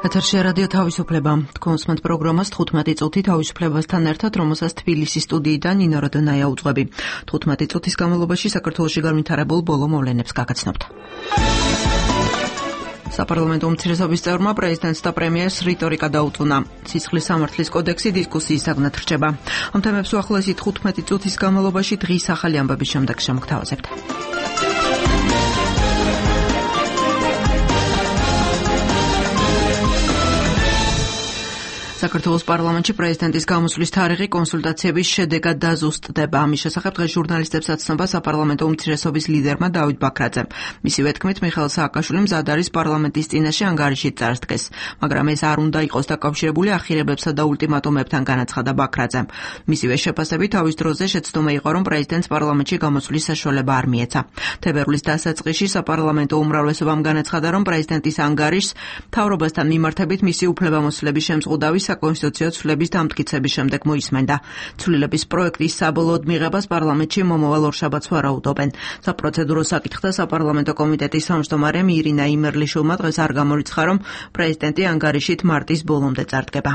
ეთერში რადიო თავისუფლება. თქვენს პროგრამას 15 წუთი თავისუფლებასთან ერთად, რომელსაც თბილისის სტუდიიდან ნინო როდონაია უძღვები. 15 წუთის განმავლობაში საქართველოში განვითარებულ ბოლო მოვლენებს გაგაცნობთ. საპარლამენტო უმცირესობის წევრმა პრეზიდენტს და პრემიერს რიტორიკა დაუწუნა. სისხლის სამართლის კოდექსი დისკუსიის საგნად რჩება. ამ თემებს უახლოესი 15 წუთის განმავლობაში დღის ახალი ამბების შემდეგ შემოგთავაზებთ. საქართველოს პარლამენტში პრეზიდენტის გამოსვლის თარიღი კონსულტაციების შედეგად დაზუსტდება. ამის შესახებ დღეს ჟურნალისტებს აცნობა საპარლამენტო უმცირესობის ლიდერმა დავით ბაქრაძემ. მისივე თქმით, მიხეილ სააკაშვილიმ მზად არის პარლამენტის წინაშე ანგარიში წარსდგეს, მაგრამ ეს არ უნდა იყოს დაკავშირებული ახირებებსა და ულტიმატუმებთან, განაცხადა ბაქრაძემ. მისივე შეფასებით, თავის დროზე შეცდომა იყო, რომ პრეზიდენტს პარლამენტში გამოსვლის საშუალება არ მიეცა. თებერვლის დასაწყისში საპარლამენტო უმრავლესობამ განაცხადა, რომ პრეზიდენტის ანგარიშს მთავრობასთან მიმართებით მისი უფლებამოსილების შემზღუდავის საკონსტიტუციო ცვლილების დამტკიცების შემდეგ მოისმენდა. ცვლილების პროექტის საბოლოოდ მიღებას პარლამენტში მომავალ ორშაბათს ვარაუდობენ. საპროცედურო საკითხთა საპარლამენტო კომიტეტის თავმჯდომარემ ირინა იმერლიშვილმა დღეს არ გამორიცხა, რომ პრეზიდენტი ანგარიშით მარტის ბოლომდე წარდგება.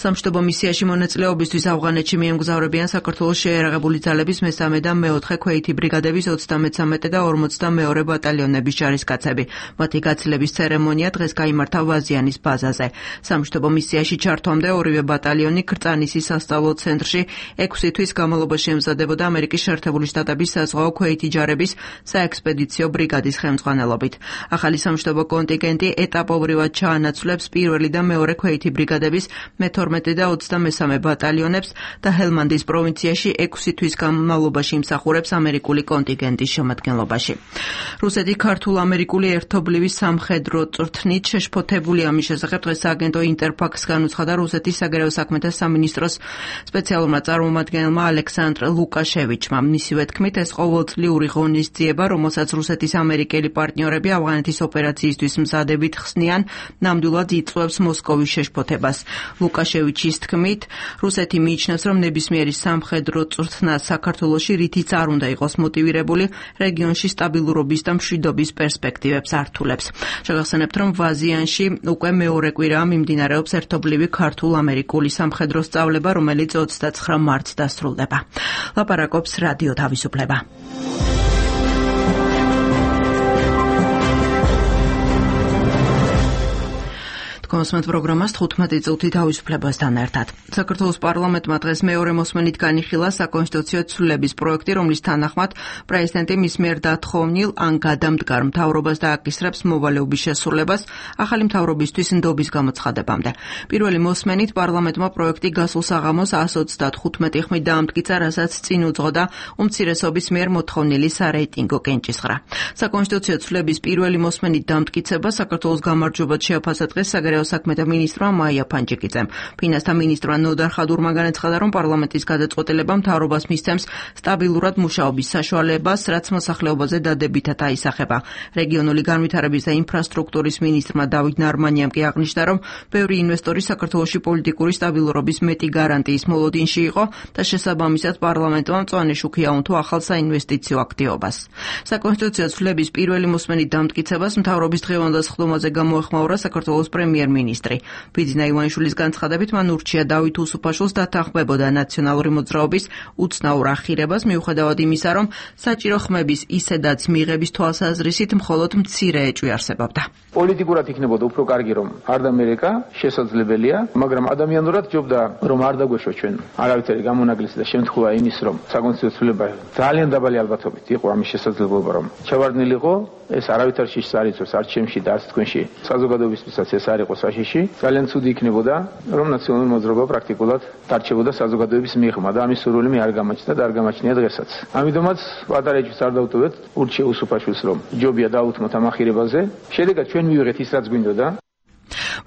სამშვიდობო მისიაში მონაწილეობისთვის ავღანეთში მიემგზავრებიან საქართველოს შეიარაღებული ძალების მესამე და მეოთხე ქვეითი ბრიგადების 33 და 42 ბატალიონების ჯარისკაცები. მათი გაცილების ცერემონია დღეს გაიმართა ვაზიანის ბაზაზე. სამშვიდობო მისიაში ჩართვამდე ორივე ბატალიონი კრწანისის სასწავლო ცენტრში 6 თვის განმავლობაში ემზადებოდა ამერიკის შეერთებული შტატების საზღვაო ქვეითი ჯარების საექსპედიციო ბრიგადის ხელმძღვანელობით. ახალი სამშვიდობო კონტინგენტი ეტაპობრივად ჩაანაცვლებს პირველი და მეორე ქვეითი ბრიგადების მე-12 და 23 ბატალიონებს და ჰელმანდის პროვინციაში 6 თვის განმავლობაში იმსახურებს ამერიკული კონტინგენტის შემადგენლობაში. რუსეთი ქართულ-ამერიკული ერთობლივი სამხედრო წვრთნით შეშფოთებული. ამის შესახებ დღეს სააგენტო ინტერფაქს განუცხადა რუსეთის საგარეო საქმეთა სამინისტროს სპეციალურმა წარმომადგენელმა ალექსანდრ ლუკაშევიჩმა. მისივე თქმით, ეს ყოველწლიური ღონისძიება, რომელსაც რუსეთის ამერიკელი პარტნიორები ავღანეთის ოპერაციისთვის მზადებით ხსნიან, ნამდვილად იწვევს მოსკოვის შეშფოთებას. ლუკაშევიჩის თქმით, რუსეთი მიიჩნევს, რომ ნებისმიერი სამხედრო წვრთნა საქართველოში რითიც არ უნდა იყოს მოტივირებული, რეგიონში სტაბილურობის და მშვიდობის პერსპექტივებს ართულებს. შეგახსენებთ, რომ ვაზიანში უკვე მეორე კვირაა მიმდინარეობს ერთობლივი ქართულ-ამერიკული სამხედრო სწავლება, რომელიც 29 მარტს დასრულდება. ლაპარაკობს რადიო თავისუფლება. კონსმეთ პროგრამას 15 წუთი თავისუფლებასთან ერთად. საქართველოს პარლამენტმა დღეს მეორე მოსმენით განიხილა საკონსტიტუციო ცვლილების პროექტი, რომლის თანახმად პრეზიდენტი მის მიერ დათხოვნილ ან გადამდგარ მთავრობას დააკისრებს მოვალეობის შესრულებას ახალი მთავრობისთვის ნდობის გამოცხადებამდე. პირველი მოსმენით პარლამენტმა პროექტი გასულ საღამოს 135 ხმით დაამტკიცა, რასაც წინ უძღოდა უმცირესობის მიერ მოთხოვნილი სარეიტინგო კენჭისყრა. საკონსტიტუციო ცვლილების პირველი მოსმენით დამტკიცება საქართველოს გამარჯვებად შეაფასა დღეს საგარეო საქმეთა მინისტრმა მაია ფანჯიკიძემ. ფინანსთა მინისტრმა ნოდარ ხადურმა განაცხადა, რომ პარლამენტის გადაწყვეტილება მთავრობას მისცემს სტაბილურად მუშაობის საშუალებას, რაც მოსახლეობაზე დადებითად აისახება. რეგიონული განვითარების და ინფრასტრუქტურის მინისტრმა დავით ნარმანიამ კი აღნიშნა, რომ ბევრი ინვესტორი საქართველოში პოლიტიკური სტაბილურობის მეტი გარანტიის მოლოდინში იყო და შესაბამისად პარლამენტმა მწვანე შუქი აუნთო ახალ საინვესტიციო აქტივობას. საკონსტიტუციო ცვლილების პირველი მოსმენით დამტკიცებას მთავრობის დღევანდელ სხდომაზე გამოეხმაურა საქართველოს პრემიერ-მინისტრი. ბიძინა ივანიშვილის განცხადებით, მან ურჩია დავით უსუფაშვილს დათანხმებოდა ნაციონალური მოძრაობის უცნაურ ახირებას, მიუხედავად იმისა, რომ საჭირო ხმების ისედაც მიღების თვალსაზრისით მხოლოდ მცირე ეჭვი არსებობდა. პოლიტიკურად იქნებოდა უფრო კარგი, რომ არ დამერეკა, შესაძლებელია, მაგრამ ადამიანურად ჯობდა, რომ არ დაგვეშვა ჩვენ არავითარი გამონაკლისი და შემთხვევა იმის, რომ საკონსტიტუციო ცვლილება ძალიან დაბალი ალბათობით იყო ამის შესაძლებლობა, რომ ჩავარდნილიყო, ეს არავითარ შიშს არ იწვევს, არც ჩემში და არც თქვენში. საზოგადოებისთვისაც ეს არ იყო საშიში. ძალიან ცუდი იქნებოდა, რომ ნაციონალური მოძრაობა პრაქტიკულად დარჩებოდა საზოგადოების მიღმა და ამის სურვილი მე არ გამაჩნდა და არ გამაჩნია დღესაც. ამიტომაც პატარა ეჭვს არ დავუტოვეთ, ურჩია უსუფაშვილს, რომ ჯობია დაუთმოთ ამ ახირებაზე. შედეგად ჩვენ მივიღეთ ის, რაც გვინდოდა.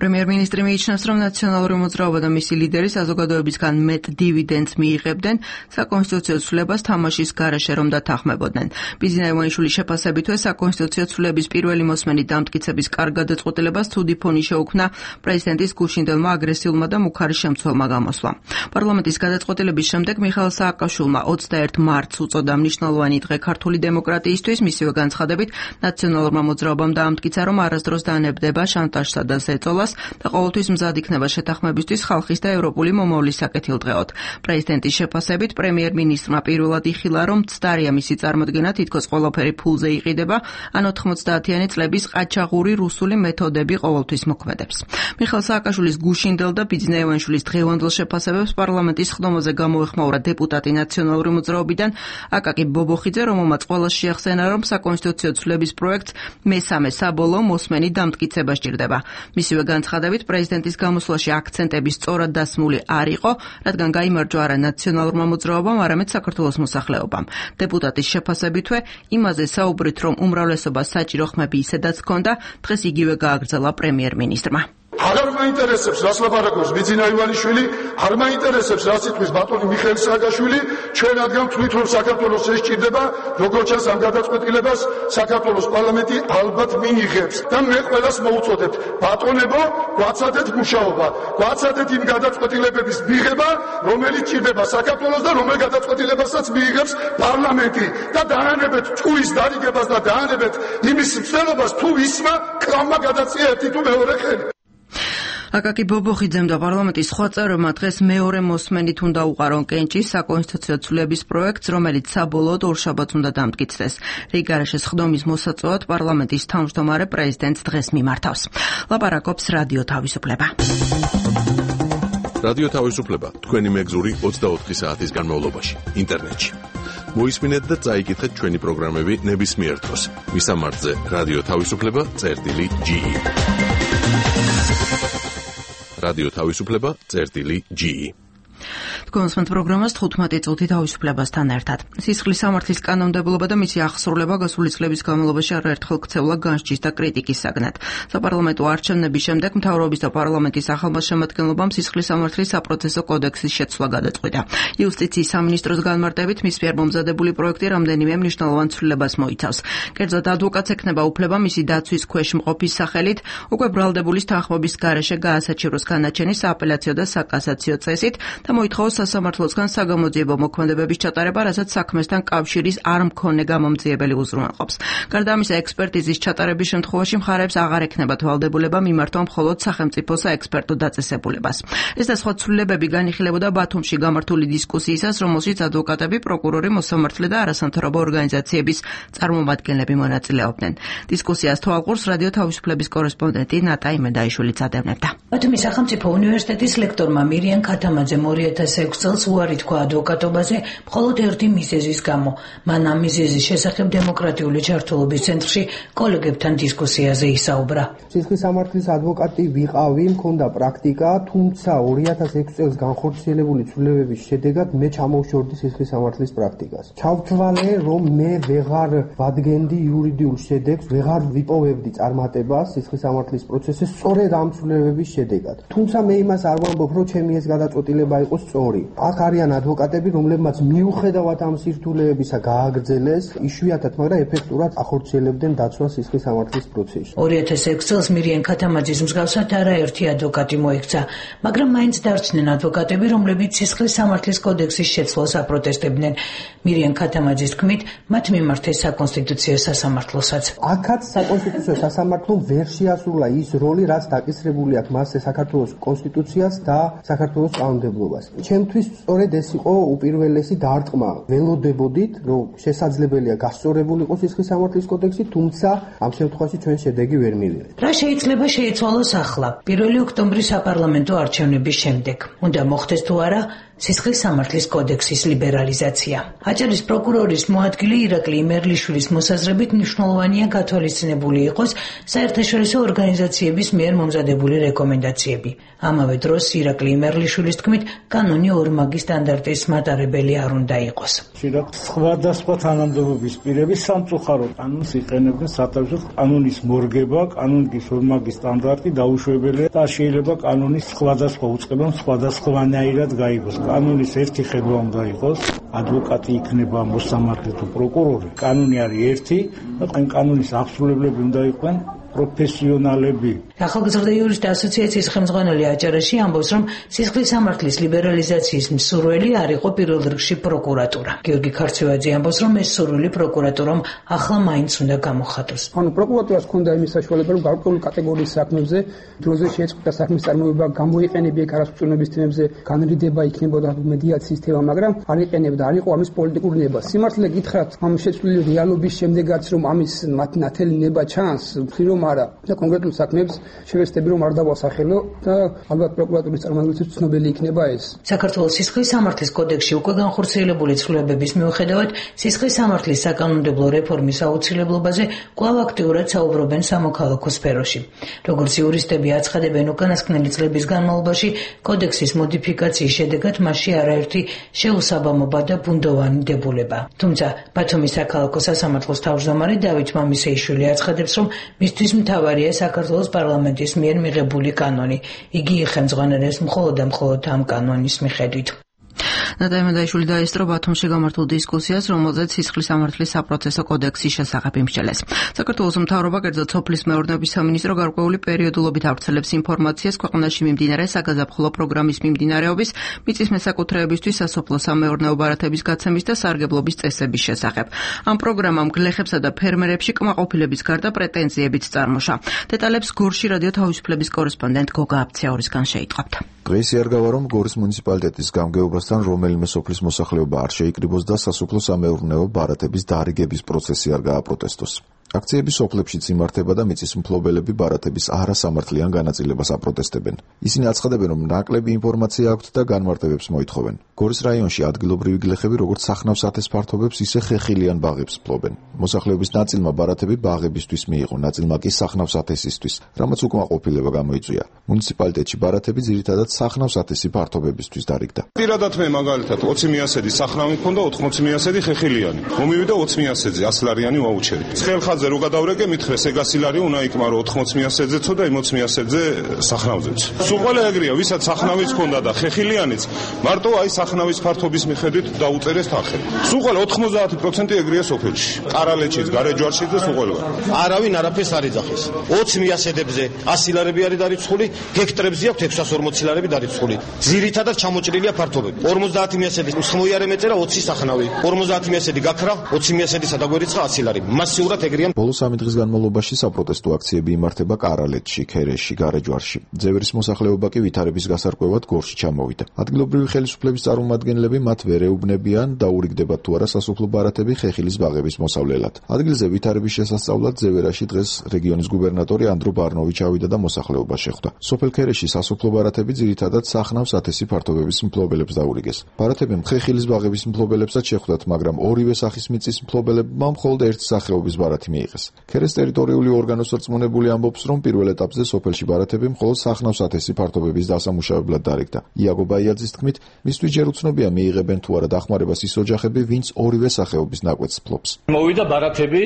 პრემიერ-მინისტრი მიიჩნევს, რომ ნაციონალური მოძრაობა და მისი ლიდერი საზოგადოებისგან მეტ დივიდენდს მიიღებდნენ, საკონსტიტუციო ცვლილებას თამაშის გარეშე რომ დათანხმებოდნენ. ბიძინა ივანიშვილის შეფასებითვე საკონსტიტუციო ცვლილების პირველი მოსმენით დამტკიცების კარგ გადაწყვეტილებას ცუდი ფონი შეუქმნა პრეზიდენტის გუშინდელმა აგრესიულმა და მუქარი შემცველმა გამოსვლამ. პარლამენტის გადაწყვეტილების შემდეგ მიხეილ სააკაშვილმა 21 მარტს უწოდა მნიშვნელოვანი დღე ქართული დემოკრატიისთვის, მისივე განცხადებით ნაციონალურმა მოძრაობამ დაამტკიცა, რომ არასდროს დანებდება შანტაჟსა და ზეწოლას და ყოველთვის მზად იქნება შეთანხმებისთვის ხალხის და ევროპული მომავლის საკეთილდღეოდ. პრეზიდენტის შეფასებით პრემიერ-მინისტრმა პირველად იხილა, რომ ცდარია მისი წარმოდგენა თითქოს ყველაფერი ფულზე იყიდება, ან 90-იანი წლების ყაჩაღური რუსული მეთოდები ყოველთვის მოქმედებს. მიხეილ სააკაშვილის გუშინდელ და ბიძინაევანშვილის დღევანდელ შეფასებებს პარლამენტის ხდომაზე გამოეხმაურა დეპუტატი ნაციონალური მოძრაობიდან აკაკი ბობოხიძე, რომელმაც ყველას შეახსენა, რომ საკონსტიტუციო ცვლილების პროექტს მესამე საბოლოო მოსმენი დამტკიცება სჭირდება. მისივე განცხადებით, პრეზიდენტის გამოსვლაში აქცენტები სწორად დასმული არ იყო, რადგან გაიმარჯვა არა ნაციონალურმა მოძრაობამ, არამედ საქართველოს მოსახლეობამ. დეპუტატის შეფასებითვე იმაზე საუბრით, რომ უმრავლესობა საჭირო ხმები ისედაც ჰქონდა, დღეს იგივე გააგრძელა პრემიერ-მინისტრმა. აღარ მაინტერესებს რას ლაპარაკობს ბიძინა ივანიშვილი, არ მაინტერესებს რას იტყვის ბატონი მიხეილ სააკაშვილი, ჩვენ რადგან ვთვლით რომ საქართველოს ეს სჭირდება, როგორც ჩანს ამ გადაწყვეტილებას საქართველოს პარლამენტი ალბათ მიიღებს და მე ყველას მოუწოდებ, ბატონებო, გვაცადეთ მუშაობა, გვაცადეთ იმ გადაწყვეტილებების მიღება, რომელიც სჭირდება საქართველოს და რომელ გადაწყვეტილებასაც მიიღებს პარლამენტი და დაანებეთ წუის დარიგებას და დაანებეთ იმის მსვლელობას თუ ისმა კრავმა გადაწია ერთი თუ მეორე ხელი. აკაკი ბობოხიძემ და პარლამენტის სხვა წევრებმა დღეს მეორე მოსმენით უნდა უყარონ კენჭის საკონსტიტუციო ცვლილების პროექტს, რომელიც საბოლოოდ ორშაბათს უნდა დამტკიცდეს. რიგგარეშეს ხდომის მოსაწვევად პარლამენტის თავმჯდომარე პრეზიდენტს დღეს მიმართავს. ლაპარაკობს რადიო თავისუფლება. რადიო თავისუფლება თქვენი მეგზური 24 საათის განმავლობაში ინტერნეტში. მოისმინეთ და წაიკითხეთ ჩვენი პროგრამები ნებისმიერ დროს. მისამართზე რადიო თავისუფლება.ge რადიო თავისუფლება.ge თქვენს პროგრამას 15 წუთი თავისუფლებასთან ერთად. სისხლის სამართლის კანონმდებლობა და მისი აღსრულება გასული წლების განმავლობაში არაერთხელ ქცევლა განსჯის და კრიტიკის საგნად. საპარლამენტო არჩევნების შემდეგ მთავრობის და პარლამენტის ახალმა შემადგენლობამ სისხლის სამართლის საპროცესო კოდექსის შეცვლა გადაწყვიტა. იუსტიციის სამინისტროს განმარტებით მის მიერ მომზადებული პროექტი რამდენიმე მნიშვნელოვან ცვლილებას მოიცავს. კერძოდ ადვოკატს ექნება უფლება მისი დაცვის ქვეშ მყოფის სახელით უკვე ბრალდებული თანხმობის გარეშე გაასაჩივროს განაჩენი სააპელაციო და საკასაციო წესით და მოითხოვოს სასამართლოსგან საგამოძიებო მოქმედებების ჩატარება, რასაც საქმესთან კავშირის არ მქონე გამომძიებელი უზრუნველყოფს. გარდა ამისა, ექსპერტიზის ჩატარების შემთხვევაში მხარეებს აღარ ექნებათ ვალდებულება მიმართვა მხოლოდ სახელმწიფო საექსპერტო დაწესებულებას. ეს და სხვა ცვლილებები განიხილებოდა ბათუმში გამართული დისკუსიისას, რომელშიც ადვოკატები, პროკურორი, მოსამართლე და არასამთავრობო ორგანიზაციების წარმომადგენლები მონაწილეობდნენ. დისკუსიას თვალყურს რადიო თავისუფლების კორესპონდენტი ნატა იმედაიშვილიც ადევნებდა. ბათუმის სახელმწიფო უნივერსიტეტის ლექტორმა მირიან ქათამაძემ 2006 წელს უარი თქვა ადვოკატობაზე მხოლოდ ერთი მიზეზის გამო. მან ამ მიზეზის შესახებ დემოკრატიული ჩართულობის ცენტრში კოლეგებთან დისკუსიაზე ისაუბრა. სისხლის სამართლის ადვოკატი ვიყავი, მქონდა პრაქტიკა, თუმცა 2006 წელს განხორციელებული ცვლილებების შედეგად მე ჩამოვშორდი სისხლის სამართლის პრაქტიკას. ჩავთვალე, რომ მე ვეღარ ვადგენდი იურიდიულ შედეგს, ვეღარ ვიპოვებდი წარმატებას სისხლის სამართლის პროცესზე სწორედ ამ ცვლილებების შედეგად. თუმცა მე იმას არ ვამბობ, რომ ჩემი ეს გადაწყვეტილება იყო სწორი. აქ არიან ადვოკატები, რომლებმაც მიუხედავად ამ სირთულეებისა გააგრძელეს, იშვიათად, მაგრამ ეფექტურად ახორციელებდნენ დაცვას სისხლის სამართლის პროცესში. 2006 წელს მირიან ქათამაძის მსგავსად არაერთი ადვოკატი მოექცა, მაგრამ მაინც დარჩნენ ადვოკატები, რომლებიც სისხლის სამართლის კოდექსის შეცვლას აპროტესტებდნენ. მირიან ქათამაძის თქმით, მათ მიმართეს საკონსტიტუციო სასამართლოსაც. აქაც საკონსტიტუციო სასამართლომ ვერ შეასრულა ის როლი, რაც დაკისრებული აქვს მასზე საქართველოს კონსტიტუციას და საქართველოს კანონმდებლობას. ჩემთვის სწორედ ეს იყო უპირველესი დარტყმა. ველოდებოდით, რომ შესაძლებელია გასწორებული იყოს სისხლის სამართლის კოდექსი, თუმცა ამ შემთხვევაში ჩვენ შედეგი ვერ მივიღეთ. რა შეიძლება შეიცვალოს ახლა, 1 ოქტომბრის საპარლამენტო არჩევნების შემდეგ? უნდა მოხდეს თუ არა სისხლის სამართლის კოდექსის ლიბერალიზაცია. აჭარის პროკურორის მოადგილე ირაკლი იმერლიშვილის მოსაზრებით მნიშვნელოვანია გათვალისწინებული იყოს საერთაშორისო ორგანიზაციების მიერ მომზადებული რეკომენდაციები. ამავე დროს ირაკლი იმერლიშვილის თქმით, კანონი ორმაგი სტანდარტის მატარებელი არ უნდა იყოს. სხვადასხვა თანამდებობის პირები სამწუხარო კანონს იყენებდნენ სათავეში. კანონის მორგება, კანონის ორმაგი სტანდარტი დაუშვებელია და შეიძლება კანონის სხვადასხვა უწყება სხვადასხვანაირად გაიგოს. კანონის ერთი ხედვა უნდა იყოს, ადვოკატი იქნება მოსამართლე თუ პროკურორი. კანონი არის ერთი და ამ კანონის აღსრულებლები უნდა იყვნენ პროფესიონალები. ახალგაზრდა იურისტთა ასოციაციის ხელმძღვანელი აჭარაში ამბობს, რომ სისხლის სამართლის ლიბერალიზაციის მსურველი არ იყო პირველ რიგში პროკურატურა. გიორგი ქარცევაძე ამბობს, რომ ეს სურვილი პროკურატურამ ახლა მაინც უნდა გამოხატოს. პროკურატურას ჰქონდა იმის საშუალება, რომ გარკვეული კატეგორიის საქმებზე დროზე შეეწყვეტა საქმის წარმოება, გამოიყენებია გარასწორების თემებზე, განრიდება იქნებოდა მედიაციის თემა, მაგრამ არ იყენებდა, არ იყო ამის პოლიტიკური ნება. სიმართლე გითხრათ, ამ შეცვლილი რეალობის შემდეგაც, რომ ამის ნათელი ნება ჩანს, ვთქვი რომ არა და კონკრეტულ საქმეებს შევეცდები რომ არ დავასახელო და ალბათ პროკურატურის წარმომადგენლებს ცნობილი იქნება ეს. საქართველოს სისხლის სამართლის კოდექსში უკვე განხორციელებული ცვლილებების მიუხედავად სისხლის სამართლის საკანონმდებლო რეფორმის აუცილებლობაზე კვლავ აქტიურად საუბრობენ სამოქალაქო სფეროში. როგორც იურისტები აცხადებენ, უკანასკნელი წლების განმავლობაში კოდექსის მოდიფიკაციის შედეგად მასში არაერთი შეუსაბამობა და ბუნდოვანი დებულება. თუმცა ბათუმის საქალაქო სასამართლოს თავმჯდომარე დავით მამისეიშვილი აცხადებს, რომ მისთვის მთავარია საქართველოს პარლამენტის მიერ მიღებული კანონი. იგი იხელმძღვანელებს მხოლოდ და მხოლოდ ამ კანონის მიხედვით. ნატალია მადაიშვილი დაესწრო ბათუმში გამართულ დისკუსიას, რომელზეც სისხლის სამართლის საპროცესო კოდექსის შესახებ იმსჯელეს. საქართველოს მთავრობა, კერძოდ სოფლის მეურნეობის სამინისტრო გარკვეული პერიოდულობით ავრცელებს ინფორმაციას ქვეყანაში მიმდინარე საგაზაფხულო პროგრამის მიმდინარეობის, მიწის მესაკუთრეებისთვის სასოფლო-სამეურნეო ბარათების გაცემის და სარგებლობის წესების შესახებ. ამ პროგრამამ გლეხებსა და ფერმერებში კმაყოფილების გარდა პრეტენზიებიც წარმოშა. დეტალებს გორში რადიო თავისუფლების კორესპონდენტ გოგა აბციაურისგან შეიტყვებთ. დღეს იარგავა, რომ გორის მუნიციპალიტეტის გამგეობასთან რომელიმე სოფლის მოსახლეობა არ შეიკრიბოს და სასოფლო-სამეურნეო ბარათების დარიგების პროცესი არ გააპროტესტოს. აქციები სოფლებშიც იმართება და მიწის მფლობელები ბარათების არასამართლიან განაწილებას აპროტესტებენ. ისინი აცხადებენ, რომ ნაკლები ინფორმაცია აქვთ და განმარტებებს მოითხოვენ. გორის რაიონში ადგილობრივი გლეხები როგორც სახნავს-ათეს ფართობებს, ისე ხეხილიან ბაღებს ფლობენ. მოსახლეობის ნაწილმა ბარათები ბაღებისთვის მიიღო, ნაწილმა კი სახნავს-ათესისთვის, რამაც უკმაყოფილება გამოიწვია. მუნიციპალიტეტში ბარათები ძირითადად სახნავს-ათესი ფართობებისთვის დარიგდა. პირადად მე მაგალითად 20 მიასედი სახნავი მქონდა, 80 მიასედი ხეხილიანი. მომივიდა 20 მიასედზე 100 ლარიანი ვაუჩერი. ცხელხაძე რო გადავრეკე, მითხრეს ეგასი ლარი უნდა იკმარო 80 მიასედზეცო და 60 მიასედზე სახნავზეც. სულ ყველა ეგრეა, ვისაც სახნავიც ქონდა და ხეხილიანიც, მარტო აი სახნავის ფართობის მიხედვით დაუწერეს თანხები. სულ ყველა 90% ეგრეა სოფელში. ყარალეჩიც, გარეჯვარშიც და სულ ყველა. არავინ არაფერს არ იძახის. 20 მიასედებზე 100 ლარები არის დარიცხული, ჰექტრებზე აქვს 640 ლარები დარიცხული. ძირითადად ჩამოჭრილია ფართობები. 50 მიასედი ხმოიარე მეწერა 20 სახნავი. 50 მიასედი გაქრა, 20 მიასედი სადაგვერიცხა 100 ლარი. მასიურად ეგრეა. ბოლო 3 დღის განმავლობაში საპროტესტო აქციები იმართება ყარალეთში, ქერეში, გარეჯვარში. ძევრის მოსახლეობა კი ვითარების გასარკვევად გორში ჩამოვიდა. ადგილობრივი ხელისუფლების წარმომადგენლები მათ ვერ ეუბნებიან, დაურიგდებათ თუ არა სასოფლო ბარათები ხეხილის ბაღების მოსავლელად. ადგილზე ვითარების შესასწავლად ძევერაში დღეს რეგიონის გუბერნატორი ანდრო ბარნოვი ჩავიდა და მოსახლეობას შეხვდა. სოფელ ქერეში სასოფლო ბარათები ძირითადად სახნავს-ათესი ფართობების მფლობელებს დაურიგეს. ბარათები ხეხილის ბაღების მფლობელებსაც შეხვდათ, მაგრამ ორივე სახის მიწის მფლობელებმა მხოლოდ ერთი სახეობის ბარათი მიიღეს. ქერეს ტერიტორიული ორგანოს რწმუნებული ამბობს, რომ პირველ ეტაპზე სოფელში ბარათები მხოლოდ სახნავს-ათესი ფართობების დასამუშავებლად დარიგდა. იაგო ბაიაძის თქმით, მისთვის ჯერ უცნობია მიიღებენ თუ არა დახმარებას ის ოჯახები, ვინც ორივე სახეობის ნაკვეთს ფლობს. მოვიდა ბარათები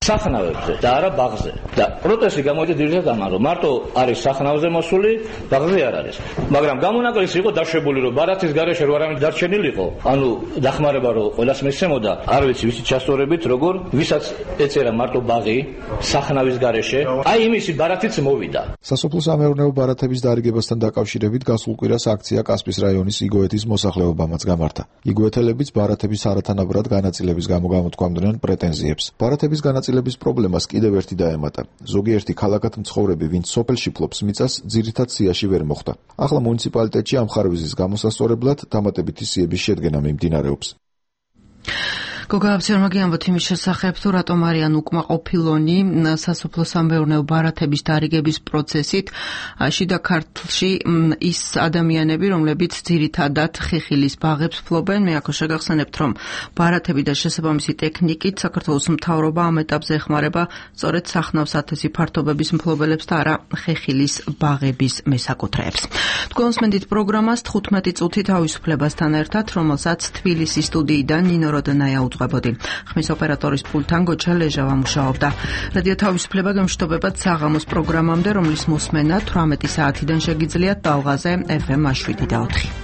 სახნავებზე და არა ბაღზე. და პროტესტი გამოვიდა ძირითადად ამან, რომ მარტო არის სახნავზე მოსული, ბაღზე არ არის. მაგრამ გამონაკლისი იყო დაშვებული, რომ ბარათის გარეშე რო არამედ დარჩენილიყო, ანუ დახმარება რო ყველას მისცემოდა, არ ვიცი ვიცი ჩასწორებით როგორ, ვისაც ეწერა მარტო ბაღი სახნავის გარეშე, აი იმისი ბარათიც მოვიდა. სასოფლო-სამეურნეო ბარათების დარიგებასთან დაკავშირებით გასულ კვირას აქცია კასპის რაიონის იგოეთის მოსახლეობამაც გამართა. იგოეთელებიც ბარათების არათანაბრად განაწილების გამო გამოთქვამდნენ პრეტენზიებს. ბარათების განაწილების პრობლემას კიდევ ერთი დაემატა. ზოგიერთი ქალაქად მცხოვრები, ვინც სოფელში ფლობს მიწას, ძირითად სიაში ვერ მოხვდა. ახლა მუნიციპალიტეტში ამ ხარვიზის გამოსასწორებლად დამატებითი სიების შედგენა მიმდინარეობს. გოგა აბციაურმა გიამბოთ იმის შესახებ, თუ რატომ არიან უკმაყოფილონი სასოფლო-სამეურნეო ბარათების დარიგების პროცესით შიდა ქართლში ის ადამიანები, რომლებიც ძირითადად ხეხილის ბაღებს ფლობენ. მე აქ შეგახსენებთ, რომ ბარათები და შესაბამისი ტექნიკით საქართველოს მთავრობა ამ ეტაპზე ეხმარება სწორედ სახნავს-ათესი ფართობების მფლობელებს და არა ხეხილის ბაღების მესაკუთრეებს. თქვენს მენდით პროგრამას 15 წუთი თავისუფლებასთან ერთად, რომელსაც თბილისის სტუდიიდან ნინო როდონაია ხმის ოპერატორის პულტთან გოჩა ლეჟავა მუშაობდა. რადიო თავისუფლება გემშვიდობებათ საღამოს პროგრამამდე, რომლის მოსმენა 18 საათიდან შეგიძლიათ ტალღაზე FM 7 და 4.